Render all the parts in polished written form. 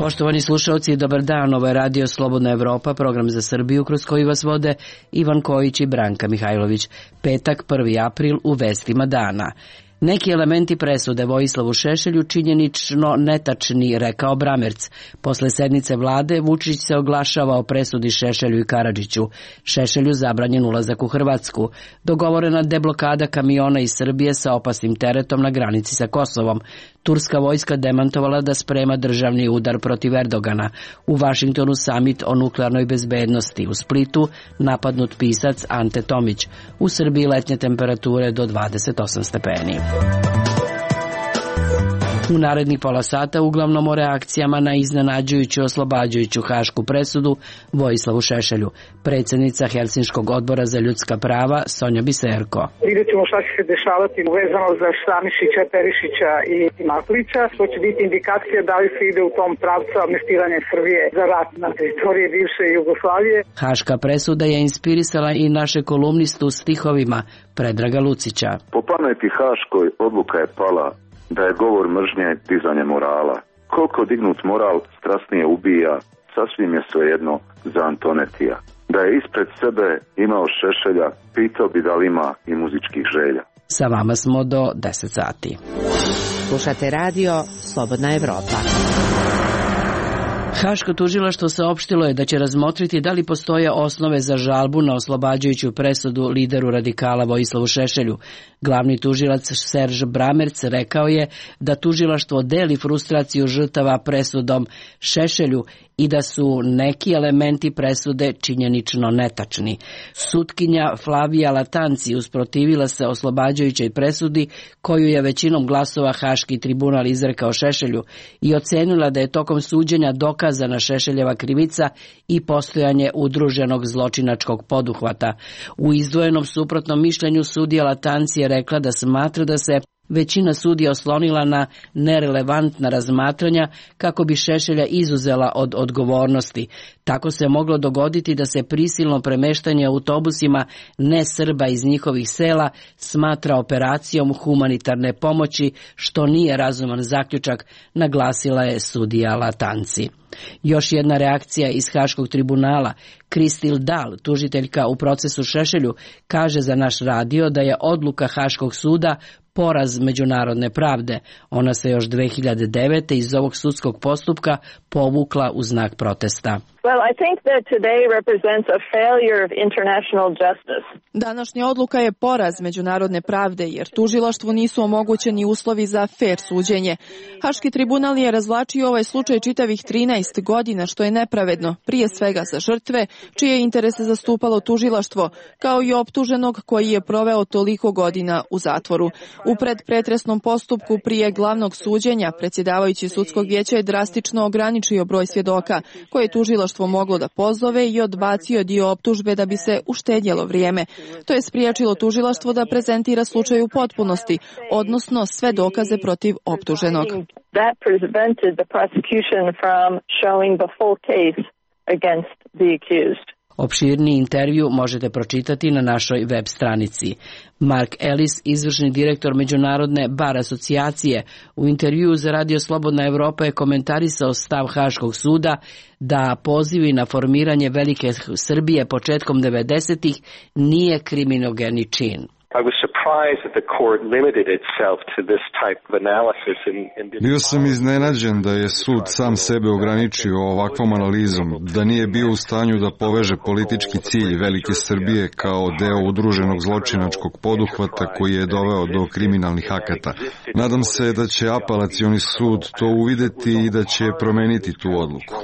Poštovani slušalci, dobar dan, ovo je Radio Slobodna Evropa, program za Srbiju kroz koji vas vode Ivan Kojić i Branka Mihajlović. Petak, 1. april, u vestima dana. Neki elementi presude Vojislavu Šešelju činjenično netačni, rekao Bramerc. Posle sednice vlade Vučić se oglašava o presudi Šešelju i Karadžiću. Šešelju zabranjen ulazak u Hrvatsku. Dogovorena deblokada kamiona iz Srbije sa opasnim teretom na granici sa Kosovom. Turska vojska demantovala da sprema državni udar protiv Erdogana. U Vašingtonu samit o nuklearnoj bezbednosti. U Splitu napadnut pisac Ante Tomić. U Srbiji letnje temperature do 28 stepeni. U narednih pola sata uglavnom o reakcijama na iznenađujuću oslobađajuću hašku presudu Vojislavu Šešelju. Predsjednica Helsinškog odbora za ljudska prava Sonja Biserko. Vidjet ćemo šta će se dešavati vezano za Stanišića, Perišića i Matlića, što će biti indikacija da li se ide u tom pravcu amnestiranja Srbije za rat na teritoriji bivše Jugoslavije. Haška presuda je inspirisala i naše kolumnistu stihovima Predraga Lucića. Po pameti haškoj odluka je pala da je govor mržnje dizanje morala. Koliko dignut moral strasnije ubija, sasvim je svejedno za Antonetija. Da je ispred sebe imao Šešelja, pitao bi da li ima i muzičkih želja. Sa vama smo do 10 sati. Slušate radio Slobodna Evropa. Haško tužilaštvo saopštilo je da će razmotriti da li postoje osnove za žalbu na oslobađajuću presudu lideru radikala Vojislavu Šešelju. Glavni tužilac Serž Bramerc rekao je da tužilaštvo deli frustraciju žrtava presudom Šešelju i da su neki elementi presude činjenično netačni. Sutkinja Flavija Latanci usprotivila se oslobađajućoj presudi koju je većinom glasova Haški tribunal izrekao Šešelju i ocenila da je tokom suđenja dokazana Šešeljeva krivica i postojanje udruženog zločinačkog poduhvata. U izdvojenom suprotnom mišljenju sudija Latanci je rekla da smatra da se većina sudija oslonila na nerelevantna razmatranja kako bi Šešelja izuzela od odgovornosti. Tako se moglo dogoditi da se prisilno premeštanje autobusima ne Srba iz njihovih sela smatra operacijom humanitarne pomoći, što nije razuman zaključak, naglasila je sudija Latanci. Još jedna reakcija iz Haškog tribunala. Kristil Dal, tužiteljka u procesu Šešelju, kaže za naš radio da je odluka Haškog suda poraz međunarodne pravde. Ona se još 2009. iz ovog sudskog postupka povukla u znak protesta. Današnja odluka je poraz međunarodne pravde jer tužilaštvu nisu omogućeni uslovi za fer suđenje. Haški tribunal je razvlačio ovaj slučaj čitavih 13 godina, što je nepravedno, prije svega za žrtve, čije interese zastupalo tužilaštvo, kao i optuženog koji je proveo toliko godina u zatvoru. U predpretresnom postupku prije glavnog suđenja predsjedavajući sudskog vijeća je drastično ograničio broj svjedoka koje je tužilaštvo moglo da pozove i odbacio dio optužbe da bi se uštedjelo vrijeme. To je spriječilo tužilaštvo da prezentira slučaj u potpunosti, odnosno sve dokaze protiv optuženog. Opširni intervju možete pročitati na našoj web stranici. Mark Ellis, izvršni direktor Međunarodne bar asocijacije, u intervjuu za Radio Slobodna Evropa je komentarisao stav Haškog suda da pozivi na formiranje Velike Srbije početkom 90-ih nije kriminogeni čin. Bio sam iznenađen da je sud sam sebe ograničio ovakvom analizom, da nije bio u stanju da poveže politički cilj Velike Srbije kao deo udruženog zločinačkog poduhvata koji je doveo do kriminalnih akata. Nadam se da će apelacioni sud to uvideti i da će promeniti tu odluku.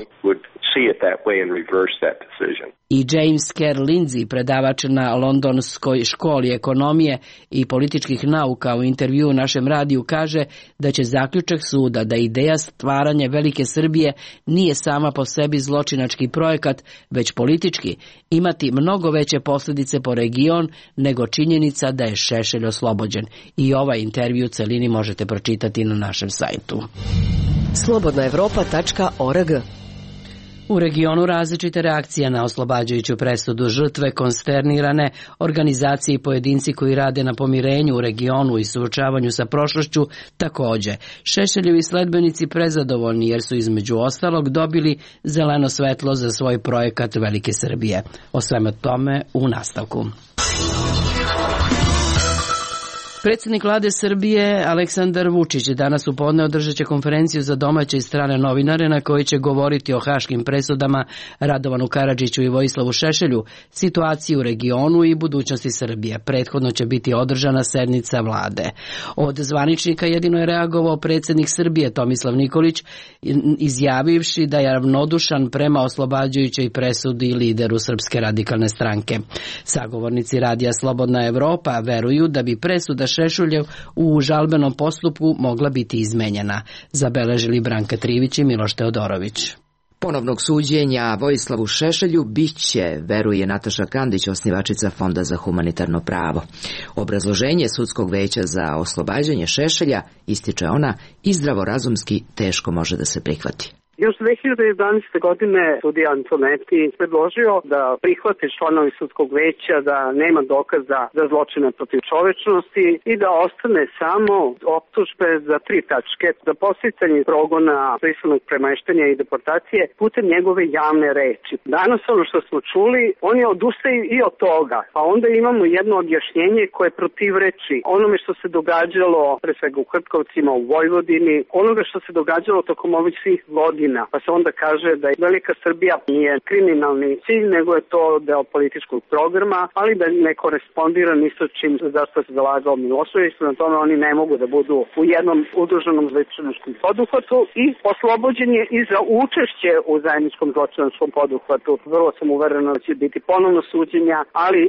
I James Kerr Lindsay, predavač na Londonskoj školi ekonomije i političkih nauka, u intervjuu našem radiju kaže da će zaključak suda da ideja stvaranja Velike Srbije nije sama po sebi zločinački projekat, već politički, imati mnogo veće posljedice po region nego činjenica da je Šešelj oslobođen. I ovaj intervju u celini možete pročitati na našem sajtu. Slobodnaevropa.org. U regionu različite reakcije na oslobađajuću presudu, žrtve konsternirane, organizacije i pojedinci koji rade na pomirenju u regionu i suočavanju sa prošlošću takođe. Šešeljevi sledbenici prezadovoljni jer su između ostalog dobili zeleno svetlo za svoj projekat Velike Srbije. O svemu tome u nastavku. Predsjednik vlade Srbije Aleksandar Vučić danas u podne održat će konferenciju za domaće i strane novinare na kojoj će govoriti o haškim presudama Radovanu Karadžiću i Vojislavu Šešelju, situaciji u regionu i budućnosti Srbije. Prethodno će biti održana sednica vlade. Od zvaničnika jedino je reagovao predsjednik Srbije Tomislav Nikolić, izjavivši da je ravnodušan prema oslobađajućoj presudi lideru Srpske radikalne stranke. Sagovornici radija Slobodna Evropa veruju da bi presuda Šešeljev u žalbenom postupku mogla biti izmenjena, zabeležili Branka Trivić i Miloš Teodorović. Ponovnog suđenja Vojislavu Šešelju biće, veruje Nataša Kandić, osnivačica Fonda za humanitarno pravo. Obrazloženje sudskog veća za oslobađanje Šešelja, ističe ona, i zdravorazumski teško može da se prihvati. Još 2011. godine sudija Antoneti predložio da prihvate članovi sudskog veća da nema dokaza za zločine protiv čovečnosti i da ostane samo optužbe za 3 tačke za podsticanje progona, prisilnog premeštenja i deportacije putem njegove javne reči. Danas ono što smo čuli, on je odustao i od toga, pa onda imamo jedno objašnjenje koje protivreči onome što se događalo pre svega u Hrtkovcima, u Vojvodini, onoga što se događalo tokom ovih svih godina. Pa se onda kaže da je Velika Srbija nije kriminalni cilj, nego je to deo političkog programa, ali da ne korespondira ni sa čim zašto se zalagao Milošević, na tome oni ne mogu da budu u jednom udruženom zločinačkom poduhvatu i oslobođen je i za učešće u zajedničkom zločinačkom poduhvatu. Vrlo sam uverena da će biti ponovno suđenja, ali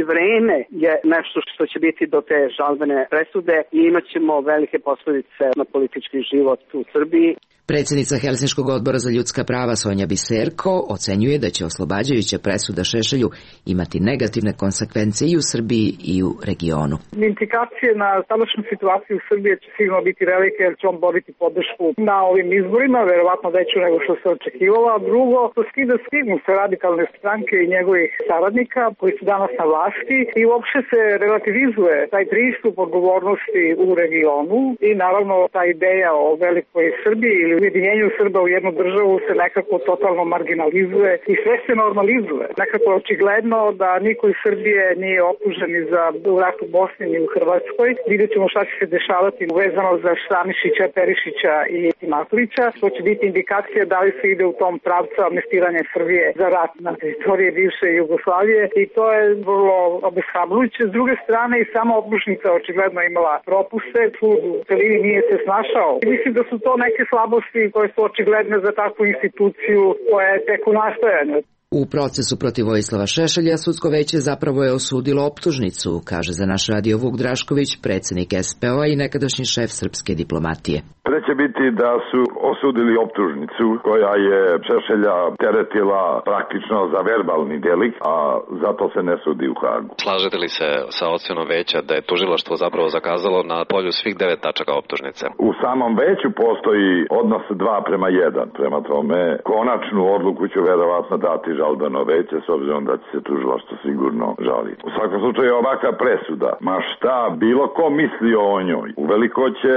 vreme je nešto što će biti do te žalbene presude i imat ćemo velike posledice na politički život u Srbiji. Predsjednica Helsinškog odbora za ljudska prava Sonja Biserko ocenjuje da će oslobađajuća presuda Šešelju imati negativne konsekvence i u Srbiji i u regionu. Implikacije na sadašnju situaciju u Srbiji će sigurno biti velike jer će on dobiti podršku na ovim izborima, verovatno veću nego što se očekivalo. A drugo, to skida stigmu sa radikalne stranke i njegovih saradnika koji su danas na vlasti i uopšte se relativizuje taj pristup odgovornosti u regionu i naravno ta ideja o velikoj Srbiji ili ujedinjenju Srba u jednu državu se nekako totalno marginalizuje i sve se normalizuje. Nekako je očigledno da niko iz Srbije nije optužen ni za rat u Bosni ni u Hrvatskoj. Vidjet ćemo šta će se dešavati vezano za Stanišića, Perišića i Matlića. To će biti indikacija da li se ide u tom pravcu amnestiranja Srbije za rat na teritoriji bivše Jugoslavije i to je vrlo obeshrabrujuće. S druge strane i sama optužnica očigledno imala propuste, sud u celini nije se snašao. I mislim da su to neke slabosti koje su očigledne za takvu instituciju koja je tek u nastajanju. U procesu protiv Vojislava Šešelja sudsko veće zapravo je osudilo optužnicu, kaže za naš radio Vuk Drašković, predsjednik SPO i nekadašnji šef srpske diplomatije. Preće biti da su osudili optužnicu koja je Šešelja teretila praktično za verbalni delik, a zato se ne sudi u Hagu. Slažete li se sa ocenom veća da je tužilaštvo zapravo zakazalo na polju svih 9 tačaka optužnice? U samom veću postoji odnos 2:1, prema tome konačnu odluku će verovatno dati žalbeno veće, s obzirom da će se tužilaštvo sigurno žaliti. U svakom slučaju ovakva presuda, ma šta bilo ko misli o njoj, uveliko će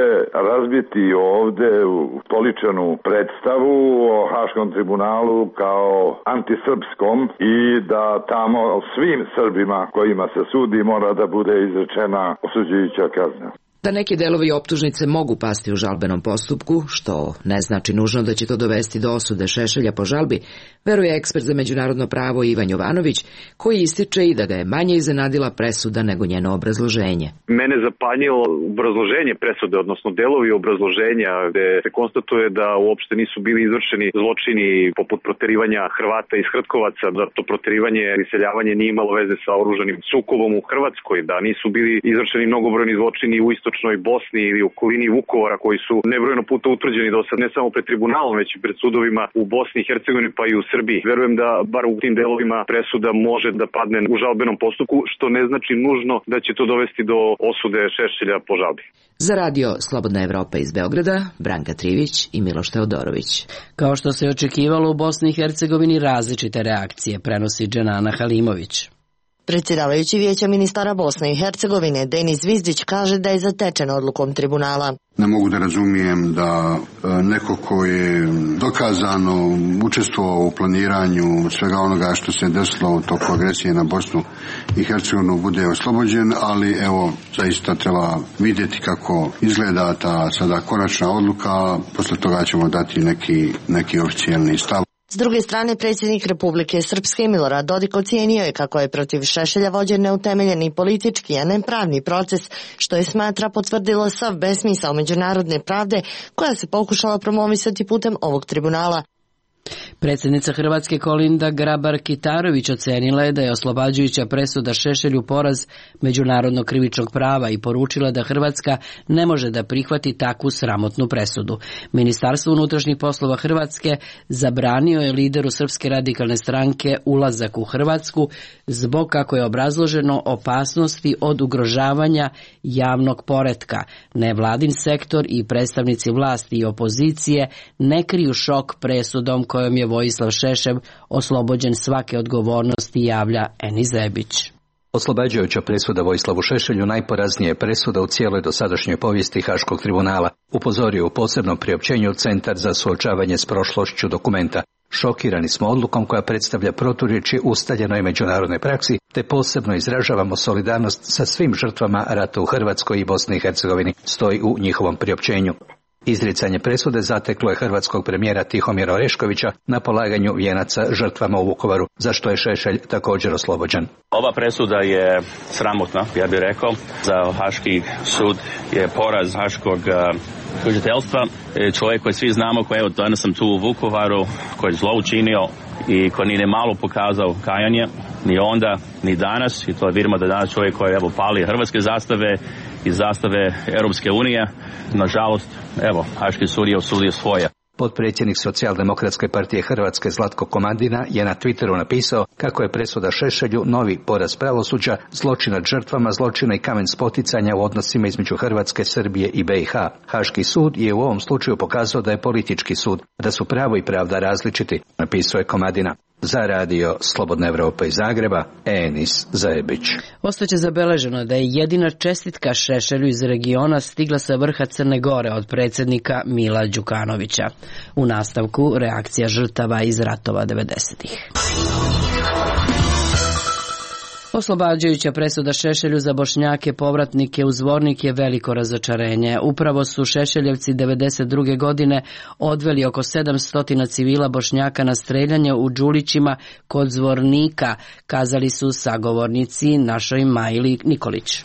razbiti ovde ustoličenu predstavu o Haškom tribunalu kao antisrpskom i da tamo svim Srbima kojima se sudi mora da bude izrečena osuđujuća kazna. Da neki delovi optužnice mogu pasti u žalbenom postupku, što ne znači nužno da će to dovesti do osude Šešelja po žalbi, veruje ekspert za međunarodno pravo Ivan Jovanović, koji ističe i da ga je manje iznenadila presuda nego njeno obrazloženje. Mene zapanjilo obrazloženje presude, odnosno delovi obrazloženja gde se konstatuje da uopšte nisu bili izvršeni zločini poput proterivanja Hrvata iz Hrtkovaca, da to proterivanje i iseljavanje nije imalo veze sa oružanim sukobom u Hrvatskoj, da nisu bili izvršeni mnogobrojni zločini u istočnoj istočnoj Bosni ili okolini Vukovara koji su nebrojeno puta utvrđeni do sad ne samo pred tribunalom već i pred sudovima u Bosni i Hercegovini pa i u Srbiji. Verujem da bar u tim delovima presuda može da padne u žalbenom postupku, što ne znači nužno da će to dovesti do osude Šešelja po žalbi. Za radio Slobodna Evropa iz Beograda, Branka Trivić i Miloš Teodorović. Kao što se očekivalo u Bosni i Hercegovini različite reakcije, prenosi Dženana Halimović. Predsjedavajući Vijeća ministara Bosne i Hercegovine Denis Vizdić kaže da je zatečen odlukom tribunala. Ne mogu da razumijem da neko ko je dokazano učestvovao u planiranju svega onoga što se desilo u toku agresije na Bosnu i Hercegovinu bude oslobođen, ali evo zaista treba vidjeti kako izgleda ta sada konačna odluka, posle toga ćemo dati neki oficijalni stav. S druge strane, predsjednik Republike Srpske Milorad Dodik ocijenio je kako je protiv Šešelja vođen neutemeljeni politički, a ne pravni proces, što je smatra potvrdilo sav besmisao međunarodne pravde koja se pokušala promovisati putem ovog tribunala. Predsjednica Hrvatske Kolinda Grabar-Kitarović ocenila je da je oslobađajuća presuda Šešelju poraz međunarodnog krivičnog prava i poručila da Hrvatska ne može da prihvati takvu sramotnu presudu. Ministarstvo unutrašnjih poslova Hrvatske zabranio je lideru Srpske radikalne stranke ulazak u Hrvatsku zbog, kako je obrazloženo, opasnosti od ugrožavanja javnog poretka. Nevladin sektor i predstavnici vlasti i opozicije ne kriju šok presudom kojom je Vojislav Šešelj oslobođen svake odgovornosti, javlja Eni Zebić. Oslobađajuća presuda Vojislavu Šešelju najporaznija je presuda u cijeloj dosadašnjoj povijesti Haškog tribunala, upozorio u posebnom priopćenju Centar za suočavanje s prošlošću dokumenta. Šokirani smo odlukom koja predstavlja proturječje ustaljenoj međunarodnoj praksi, te posebno izražavamo solidarnost sa svim žrtvama rata u Hrvatskoj i Bosni i Hercegovini, stoji u njihovom priopćenju. Izricanje presude zateklo je hrvatskog premijera Tihomira Oreškovića na polaganju vijenaca žrtvama u Vukovaru, za što je Šešelj također oslobođen. Ova presuda je sramotna, ja bih rekao. Za Haški sud je poraz haškog tužiteljstva. Čovjek koji svi znamo, koji evo danas sam tu u Vukovaru, koji je zlo učinio i koji nije malo pokazao kajanje, ni onda, ni danas. I to vidimo da danas čovjek koji evo pali hrvatske zastave i zastave Europske unije. Nažalost, evo, Haški sud je osudio svoje. Potpredsjednik Socijaldemokratske partije Hrvatske Zlatko Komadina je na Twitteru napisao kako je presuda Šešelju novi poraz pravosuđa, zločin nad žrtvama zločina i kamen spoticanja u odnosima između Hrvatske, Srbije i BiH. Haški sud je u ovom slučaju pokazao da je politički sud, da su pravo i pravda različiti, napisao je Komadina. Za radio Slobodna Evropa iz Zagreba, Enis Zajebić. Ostaće zabeleženo da je jedina čestitka Šešelju iz regiona stigla sa vrha Crne Gore od predsjednika Mila Đukanovića. U nastavku reakcija žrtava iz ratova 90-ih. Oslobađajuća presuda Šešelju za Bošnjake povratnike u Zvornik je veliko razočarenje. Upravo su Šešeljevci 92. godine odveli oko 700 civila Bošnjaka na streljanje u Đulićima kod Zvornika, kazali su sagovornici našoj Majli Nikolić.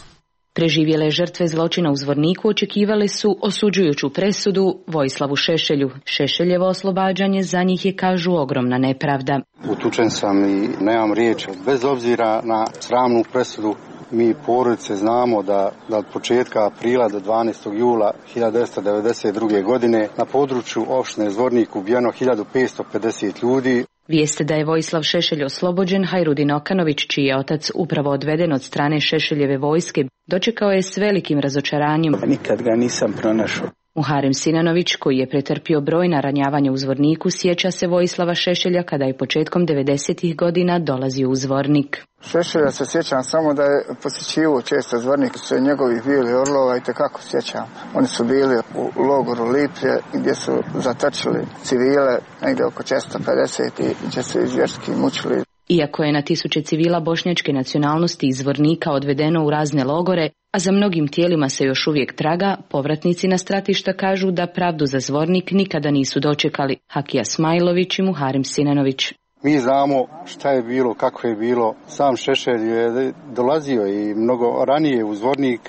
Preživjele žrtve zločina u Zvorniku očekivale su osuđujuću presudu Vojislavu Šešelju. Šešeljevo oslobađanje za njih je, kažu, ogromna nepravda. Utučen sam i nemam riječi. Bez obzira na sramnu presudu, mi porodice znamo da od početka aprila do 12. jula 1992. godine na području opštine Zvornik ubijeno 1550 ljudi. Vijeste da je Vojislav Šešelj oslobođen, Hajrudin Okanović, čiji je otac upravo odveden od strane Šešeljeve vojske, dočekao je s velikim razočaranjem. Nikad ga nisam pronašao. Muharem Sinanović, koji je pretrpio brojna ranjavanja u Zvorniku, sjeća se Vojislava Šešelja kada je početkom 90-ih godina dolazio u Zvornik. Šešelja se sjećam samo da je posjećivao često Zvornik, su njegovih bili orlova i tekako sjećam. Oni su bili u logoru Liplje gdje su zatočili civile, negdje oko 450 i gdje su izvjerski mučili. Iako je na tisuće civila bošnjačke nacionalnosti iz Zvornika odvedeno u razne logore, a za mnogim tijelima se još uvijek traga, povratnici na stratišta kažu da pravdu za Zvornik nikada nisu dočekali. Hakija Smajlović i Muharem Sinanović. Mi znamo šta je bilo, kako je bilo. Sam Šešelj je dolazio i mnogo ranije u Zvornik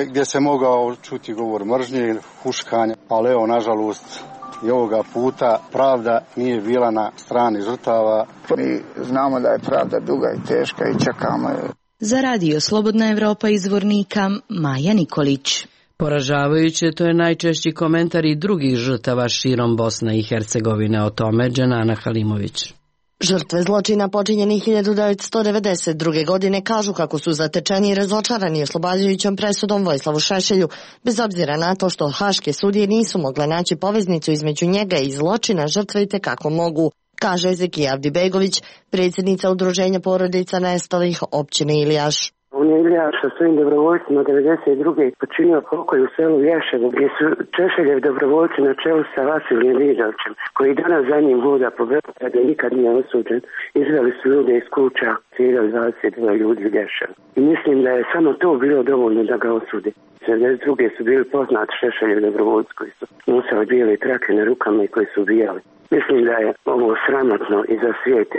gdje se mogao čuti govor mržnje, huškanja, ali evo, nažalost, i ovoga puta pravda nije bila na strani žrtava. Mi znamo da je pravda duga i teška i čekamo je. Za radio Slobodna Evropa iz Zvornika, Maja Nikolić. Poražavajuće, to je najčešći komentar i drugih žrtava širom Bosne i Hercegovine. O tome Dženana Halimović. Žrtve zločina počinjenih 1992. godine kažu kako su zatečeni i razočarani oslobađajućom presudom Vojislavu Šešelju, bez obzira na to što haške sudije nisu mogle naći poveznicu između njega i zločina, žrtve i tekako mogu, kaže Ezekija Avdibegović, predsjednica udruženja porodica nestalih općine Ilijaš. On je Ilijaš sa svojim dobrovoljcima 92. počinio pokolj u selu Ješevo, gdje su Šešeljev dobrovoljci na čelu sa Vasilijem Vidovčem, koji danas za njim hoda po Beogradu i nikad nije osuđen. Izveli su ljude iz kuća, ciljali 22 ljudi u Ješevu. I mislim da je samo to bilo dovoljno da ga osudi. 72. su bili poznati Šešeljev dobrovoljci koji su nosili bijele trake na rukama i koji su ubijali. Mislim da je ovo sramotno i za svijet,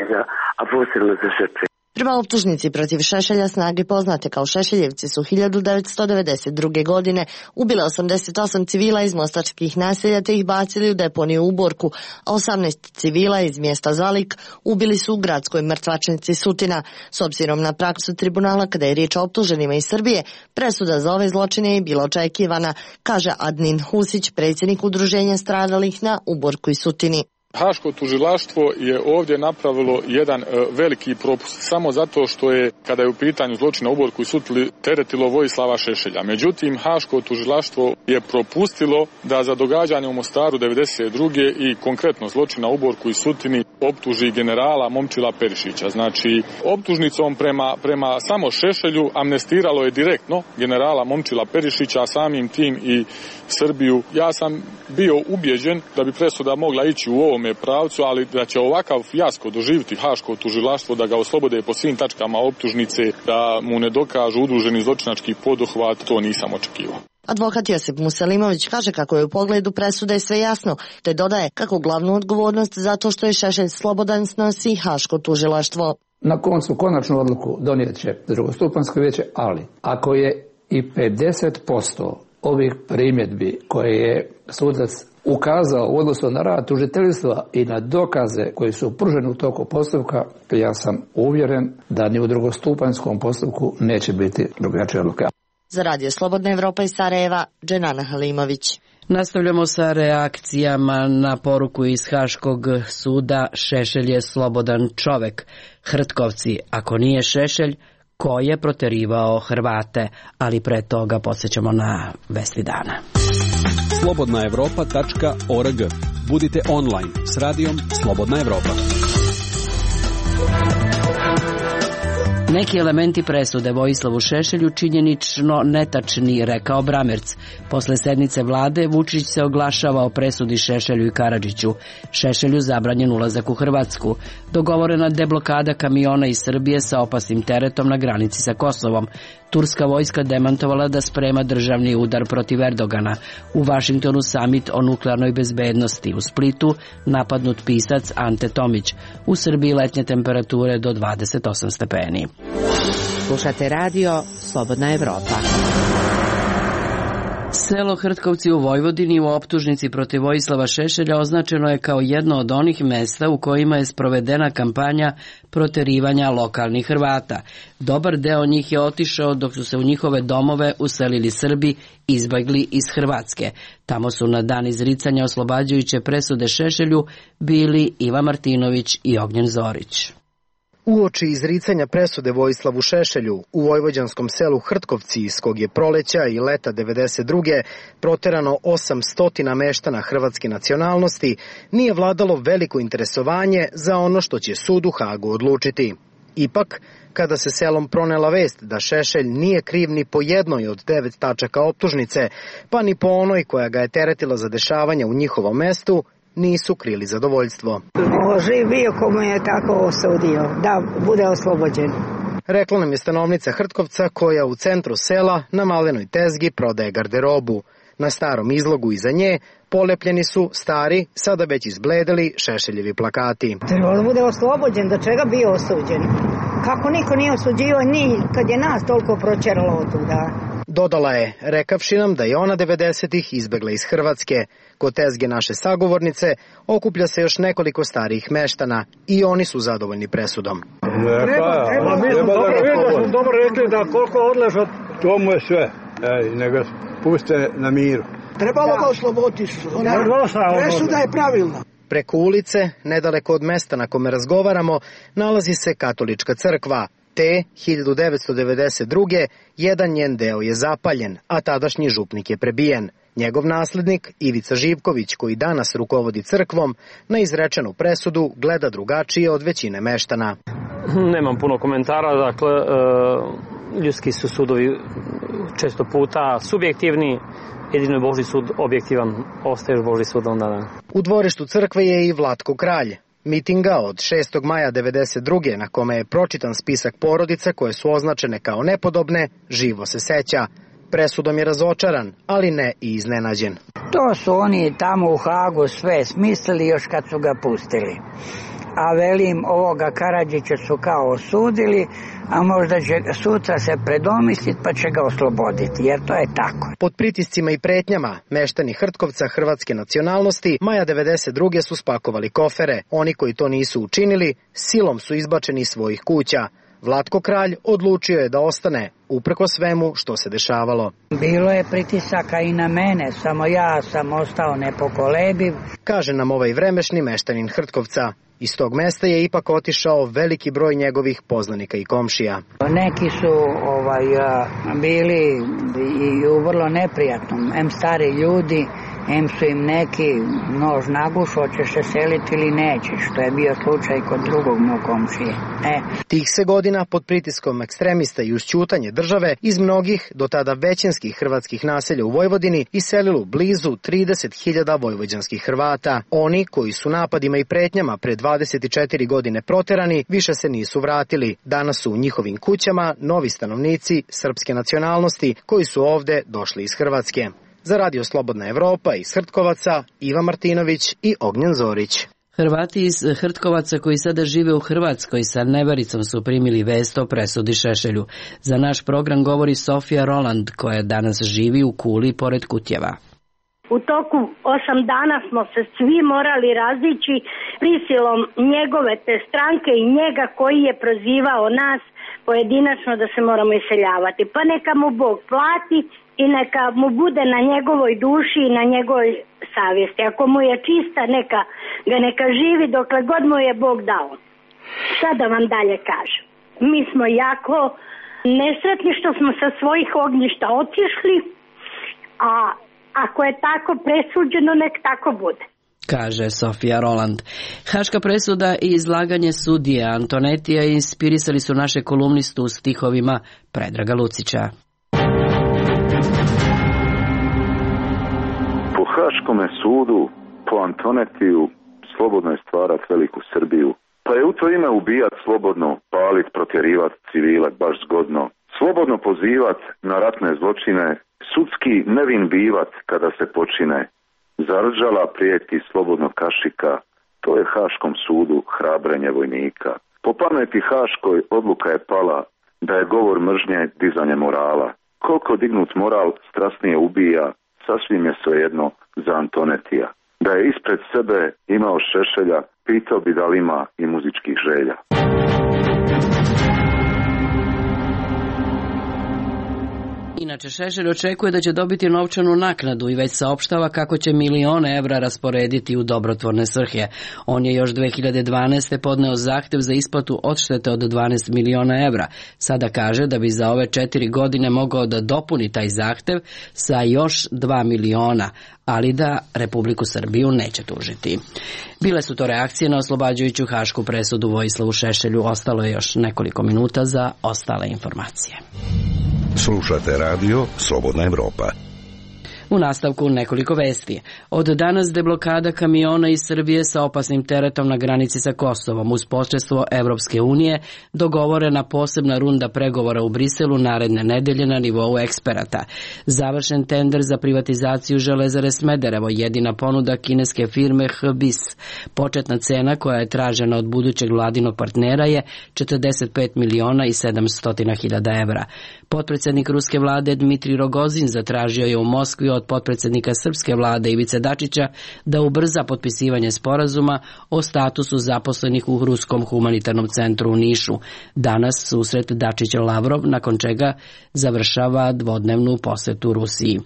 a posebno za žrtve. Prema optužnici protiv Šešelja, snage poznate kao Šešeljevci su 1992. godine ubile 88 civila iz mostačkih naselja te ih bacili u deponiju u Borku, a 18 civila iz mjesta Zalik ubili su u gradskoj mrtvačnici Sutina. S obzirom na praksu tribunala kada je riječ o optuženima iz Srbije, presuda za ove zločine je bila očekivana, kaže Adnin Husić, predsjednik udruženja stradalih na Uborku i Sutini. Haško tužilaštvo je ovdje napravilo jedan veliki propust samo zato što je, kada je u pitanju zločina u Uborku i Sutili, teretilo Vojislava Šešelja. Međutim, Haško tužilaštvo je propustilo da za događanje u Mostaru 92. i konkretno zločina u Uborku i Sutini optuži generala Momčila Perišića. Znači, optužnicom prema samo Šešelju amnestiralo je direktno generala Momčila Perišića, a samim tim i Srbiju. Ja sam bio ubjeđen da bi presuda mogla ići u ovome pravcu, ali da će ovakav fijasko doživjeti Haško tužilaštvo, da ga oslobode po svim tačkama optužnice, da mu ne dokažu udruženi zločinački poduhvat, to nisam očekivao. Advokat Josip Muselimović kaže kako je u pogledu presude sve jasno, te dodaje kako glavnu odgovornost za to što je Šešelj slobodan snosi Haško tužilaštvo. Na koncu konačnu odluku donijet će drugostupanjsko vijeće, ali ako je i 50% ovih primjedbi koje je sudac ukazao u odnosu na rad tužiteljstva i na dokaze koji su pruženi u toku postupka, ja sam uvjeren da ni u drugostupanjskom postupku neće biti drugačija odluka. Za Radio Slobodna Evropa iz Sarajeva, Dženana Halimović. Nastavljamo sa reakcijama na poruku iz Haškog suda Šešelj je slobodan čovek. Hrtkovci, ako nije Šešelj, ko je proterivao Hrvate? Ali pre toga podsjećamo na vesti dana. slobodnaevropa.org. Budite online s radijom Slobodna Evropa. Neki elementi presude Vojislavu Šešelju činjenično netačni, rekao Bramerc. Posle sednice vlade Vučić se oglašava o presudi Šešelju i Karadžiću. Šešelju zabranjen ulazak u Hrvatsku. Dogovorena deblokada kamiona iz Srbije sa opasnim teretom na granici sa Kosovom. Turska vojska demantovala da sprema državni udar protiv Erdogana. U Vašingtonu samit o nuklearnoj bezbednosti. U Splitu napadnut pisac Ante Tomić. U Srbiji letnje temperature do 28 stepeni. Slušate radio Slobodna Evropa. Selo Hrtkovci u Vojvodini u optužnici protiv Vojislava Šešelja označeno je kao jedno od onih mesta u kojima je sprovedena kampanja proterivanja lokalnih Hrvata. Dobar deo njih je otišao dok su se u njihove domove uselili Srbi izbjegli iz Hrvatske. Tamo su na dan izricanja oslobađajuće presude Šešelju bili Iva Martinović i Ognjen Zorić. Uoči izricanja presude Vojislavu Šešelju u vojvođanskom selu Hrtkovci, iz kog je proleća i leta 92. proterano 800 meštana hrvatske nacionalnosti, nije vladalo veliko interesovanje za ono što će sud u Hagu odlučiti. Ipak, kada se selom pronela vest da Šešelj nije kriv ni po jednoj od 9 tačaka optužnice, pa ni po onoj koja ga je teretila za dešavanja u njihovom mestu, nisu krili zadovoljstvo. Živ bio komu je tako osudio, da bude oslobođen. Rekla nam je stanovnica Hrtkovca koja u centru sela na malenoj tezgi prodaje garderobu. Na starom izlogu iza nje polepljeni su stari, sada već izbledeli Šešeljevi plakati. Treba da bude oslobođen, da čega bio osuđen? Kako niko nije osuđivao ni kad je nas toliko pročeralo od tuda? Dodala je, rekavši nam da je ona 90-ih izbegla iz Hrvatske. Kod tezge naše sagovornice okuplja se još nekoliko starijih meštana i oni su zadovoljni presudom. Treba dobro rekli da koliko odleža, to mu je sve. nego puste na miru. Trebalo ga osloboditi, presuda je pravilna. Preko ulice, nedaleko od mesta na kome razgovaramo, nalazi se katolička crkva. Te 1992. jedan njen deo je zapaljen, a tadašnji župnik je prebijen. Njegov naslednik, Ivica Živković, koji danas rukovodi crkvom, na izrečenu presudu gleda drugačije od većine meštana. Nemam puno komentara, dakle, ljudski su sudovi često puta subjektivni, jedino je Božji sud objektivan, ostaješ Božji sud onda. U dvorištu crkve je i Vlatko Kralj. Mitinga od 6. maja 1992. na kome je pročitan spisak porodica koje su označene kao nepodobne, živo se seća. Presudom je razočaran, ali ne i iznenađen. To su oni tamo u Hagu sve smislili još kad su ga pustili. A velim, ovoga Karadžića su kao osudili, a možda će sutra se predomisliti pa će ga osloboditi, jer to je tako. Pod pritiscima i pretnjama, meštani Hrtkovca hrvatske nacionalnosti maja 1992. su spakovali kofere. Oni koji to nisu učinili, silom su izbačeni iz svojih kuća. Vlatko Kralj odlučio je da ostane, uprko svemu što se dešavalo. Bilo je pritisaka i na mene, samo ja sam ostao nepokolebiv. Kaže nam ovaj vremešni meštanin Hrtkovca. Iz tog mesta je ipak otišao veliki broj njegovih poznanika i komšija. Neki su bili i u vrlo neprijatnom, em stari ljudi, em su im neki nož nagušao, hoćeš se seliti ili nećeš, što je bio slučaj kod drugog mog komšije. Tih se godina pod pritiskom ekstremista i uz ćutanje države iz mnogih, do tada većinskih hrvatskih naselja u Vojvodini iselilo blizu 30.000 vojvođanskih Hrvata. Oni koji su napadima i pretnjama pre 24 godine proterani, više se nisu vratili. Danas su u njihovim kućama novi stanovnici srpske nacionalnosti koji su ovde došli iz Hrvatske. Za Radio Slobodna Evropa iz Hrtkovaca, Iva Martinović i Ognjen Zorić. Hrvati iz Hrtkovaca koji sada žive u Hrvatskoj sa nevericom su primili vest o presudi Šešelju. Za naš program govori Sofija Roland koja danas živi u Kuli pored Kutjeva. U toku 8 dana smo se svi morali razići prisilom njegove te stranke i njega koji je prozivao nas pojedinačno da se moramo iseljavati. Pa neka mu Bog plati i neka mu bude na njegovoj duši i na njegovoj savjesti. Ako mu je čista, neka živi dokle god mu je Bog dao. Šta da vam dalje kažem? Mi smo jako nesretni što smo sa svojih ognjišta otišli, a ako je tako presuđeno, nek tako bude. Kaže Sofija Roland. Haška presuda i izlaganje sudije Antonetija inspirisali su naše kolumnistu u stihovima Predraga Lucića. Po Haškome sudu, po Antonetiju, slobodno je stvarat veliku Srbiju. Pa je u to ime ubijat slobodno, palit, protjerivat, civilat baš zgodno. Slobodno pozivat na ratne zločine, sudski nevin bivat kada se počine. Zarđala prijeti slobodno kašika, to je Haškom sudu hrabrenje vojnika. Po pameti Haškoj odluka je pala da je govor mržnje dizanje morala. Koliko dignut moral strasnije ubija, sasvim je svejedno za Antonetija. Da je ispred sebe imao Šešelja, pitao bi da li ima i muzičkih želja. Inače, Šešelj očekuje da će dobiti novčanu naknadu i već saopštava kako će milione evra rasporediti u dobrotvorne svrhe. On je još 2012. podneo zahtev za isplatu odštete od 12 miliona evra. Sada kaže da bi za ove 4 godine mogao da dopuni taj zahtev sa još 2 miliona, ali da Republiku Srbiju neće tužiti. Bile su to reakcije na oslobađajuću hašku presudu Vojislavu Šešelju. Ostalo je još nekoliko minuta za ostale informacije. Slušate radio Slobodna Evropa. U nastavku nekoliko vesti. Od danas deblokada kamiona iz Srbije sa opasnim teretom na granici sa Kosovom uz posredstvo Evropske unije dogovorena posebna runda pregovora u Briselu naredne nedelje na nivou eksperata. Završen tender za privatizaciju Železare Smederevo, jedina ponuda kineske firme HBIS. Početna cena koja je tražena od budućeg vladinog partnera je 45 miliona i 700 hiljada evra. Potpredsjednik ruske vlade Dmitrij Rogozin zatražio je u Moskvi od od potpredsjednika srpske vlade Ivice Dačića da ubrza potpisivanje sporazuma o statusu zaposlenih u Ruskom humanitarnom centru u Nišu. Danas susret Dačić-Lavrov, nakon čega završava dvodnevnu posetu Rusiji.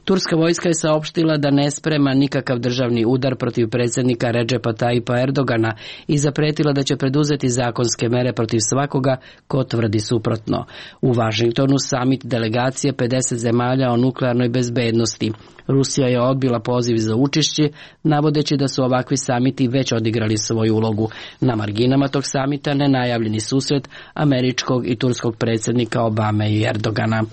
Turska vojska je saopštila da ne sprema nikakav državni udar protiv predsjednika Redžepa Tajipa Erdogana i zapretila da će preduzeti zakonske mere protiv svakoga ko tvrdi suprotno. U Vašingtonu samit delegacije 50 zemalja o nuklearnoj bezbednosti. Rusija je odbila poziv za učešće, navodeći da su ovakvi samiti već odigrali svoju ulogu. Na marginama tog samita nenajavljeni susret američkog i turskog predsjednika Obame i Erdogana.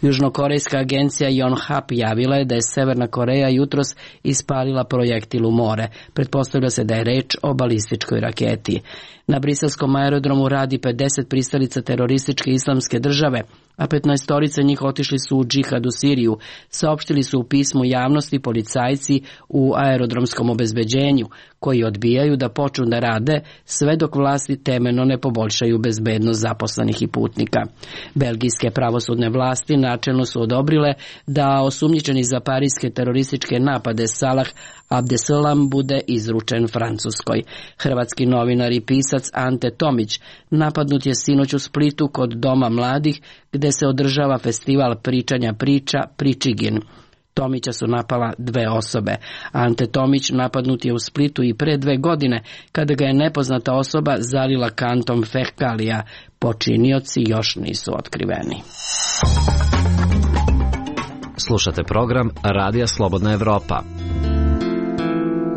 Južnokorejska agencija Yonhap javila je da je Severna Koreja jutros ispalila projektil u more. Pretpostavlja se da je reč o balističkoj raketi. Na briselskom aerodromu radi 50 pristalica terorističke islamske države, a 15 njih otišli su u džihad u Siriju, saopštili su u pismu javnosti policajci u aerodromskom obezbeđenju, koji odbijaju da počnu da rade sve dok vlasti temeljno ne poboljšaju bezbednost zaposlenih i putnika. Belgijske pravosudne vlasti načelno su odobrile da osumnjičeni za parijske terorističke napade Salah Abdeslam bude izručen Francuskoj. Hrvatski novinar i pisac Ante Tomić napadnut je sinoć u Splitu kod Doma mladih, gde se održava festival pričanja priča Pričigin. Tomića su napala 2 osobe. Ante Tomić napadnut je u Splitu i pre 2 godine, kada ga je nepoznata osoba zalila kantom fekalija. Počinioci još nisu otkriveni. Slušate program Radija Slobodna Evropa.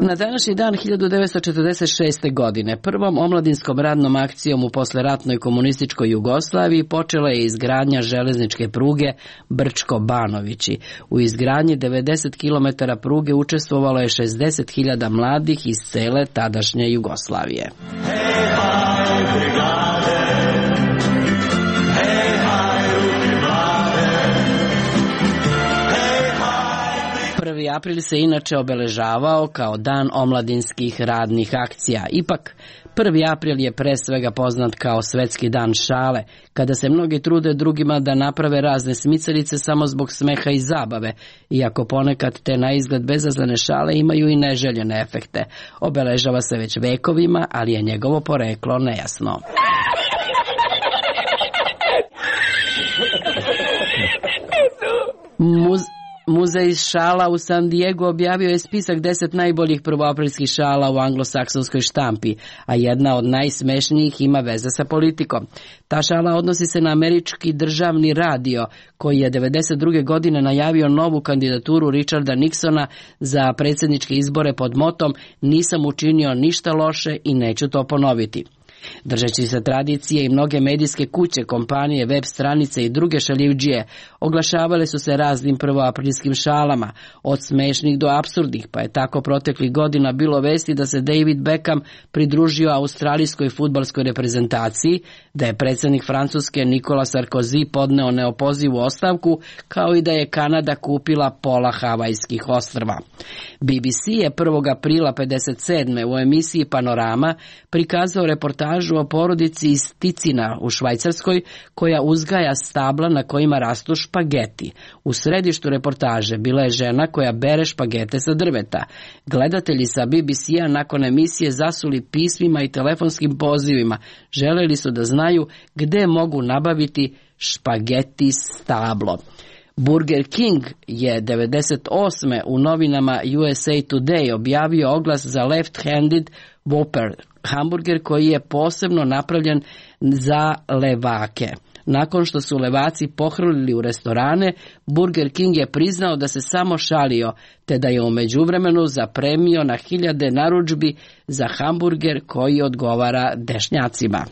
Na današnji dan 1946. godine prvom omladinskom radnom akcijom u posleratnoj komunističkoj Jugoslaviji počela je izgradnja železničke pruge Brčko-Banovići. U izgradnji 90 km pruge učestvovalo je 60.000 mladih iz cele tadašnje Jugoslavije. April se inače obeležavao kao dan omladinskih radnih akcija. Ipak, 1. april je pre svega poznat kao svetski dan šale, kada se mnogi trude drugima da naprave razne smicalice samo zbog smeha i zabave, iako ponekad te na izgled bezazlene šale imaju i neželjene efekte. Obeležava se već vekovima, ali je njegovo poreklo nejasno. Muzej šala u San Diego objavio je spisak 10 najboljih prvoaprilskih šala u anglosaksonskoj štampi, a jedna od najsmešnijih ima veze sa politikom. Ta šala odnosi se na američki državni radio, koji je 1992. godine najavio novu kandidaturu Richarda Nixona za predsjedničke izbore pod motom "Nisam učinio ništa loše i neću to ponoviti". Držeći se tradicije i mnoge medijske kuće, kompanije, web stranice i druge šaljivdžije oglašavale su se raznim prvoaprilskim šalama, od smešnih do apsurdnih, pa je tako proteklih godina bilo vesti da se David Beckham pridružio australijskoj fudbalskoj reprezentaciji, da je predsjednik Francuske Nicolas Sarkozy podneo neopozivu ostavku, kao i da je Kanada kupila pola Havajskih ostrva. BBC je 1. aprila 1957. u emisiji Panorama prikazao reportažu o porodici iz Ticina u Švajcarskoj, koja uzgaja stabla na kojima rastu špageti. U središtu reportaže bila je žena koja bere špagete sa drveta. Gledatelji sa BBC-a nakon emisije zasuli pismima i telefonskim pozivima. Želeli su da znaju gde mogu nabaviti špageti stablo. Burger King je 1998. u novinama USA Today objavio oglas za left-handed Whopper, hamburger koji je posebno napravljen za levake. Nakon što su levaci pohrlili u restorane, Burger King je priznao da se samo šalio, te da je u međuvremenu zapremio na 1000 narudžbi za hamburger koji odgovara dešnjacima.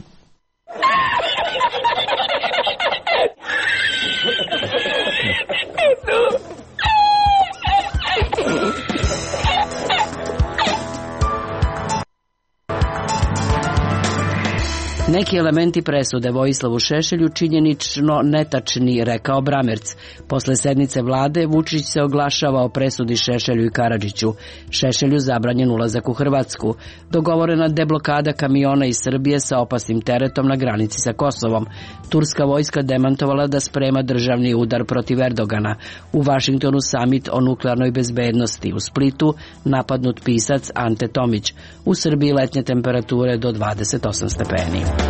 Neki elementi presude Vojislavu Šešelju činjenično netačni, rekao Bramerc. Posle sednice vlade Vučić se oglašava o presudi Šešelju i Karadžiću. Šešelju zabranjen ulazak u Hrvatsku. Dogovorena deblokada kamiona iz Srbije sa opasnim teretom na granici sa Kosovom. Turska vojska demantovala da sprema državni udar protiv Erdogana. U Vašingtonu samit o nuklearnoj bezbednosti. U Splitu napadnut pisac Ante Tomić. U Srbiji letnje temperature do 28 stepeni.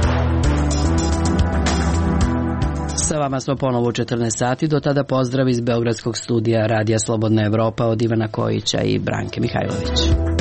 Sa vama smo ponovo u 14 sati, do tada pozdrav iz Beogradskog studija Radija Slobodna Evropa od Ivana Kojića i Branke Mihajlović.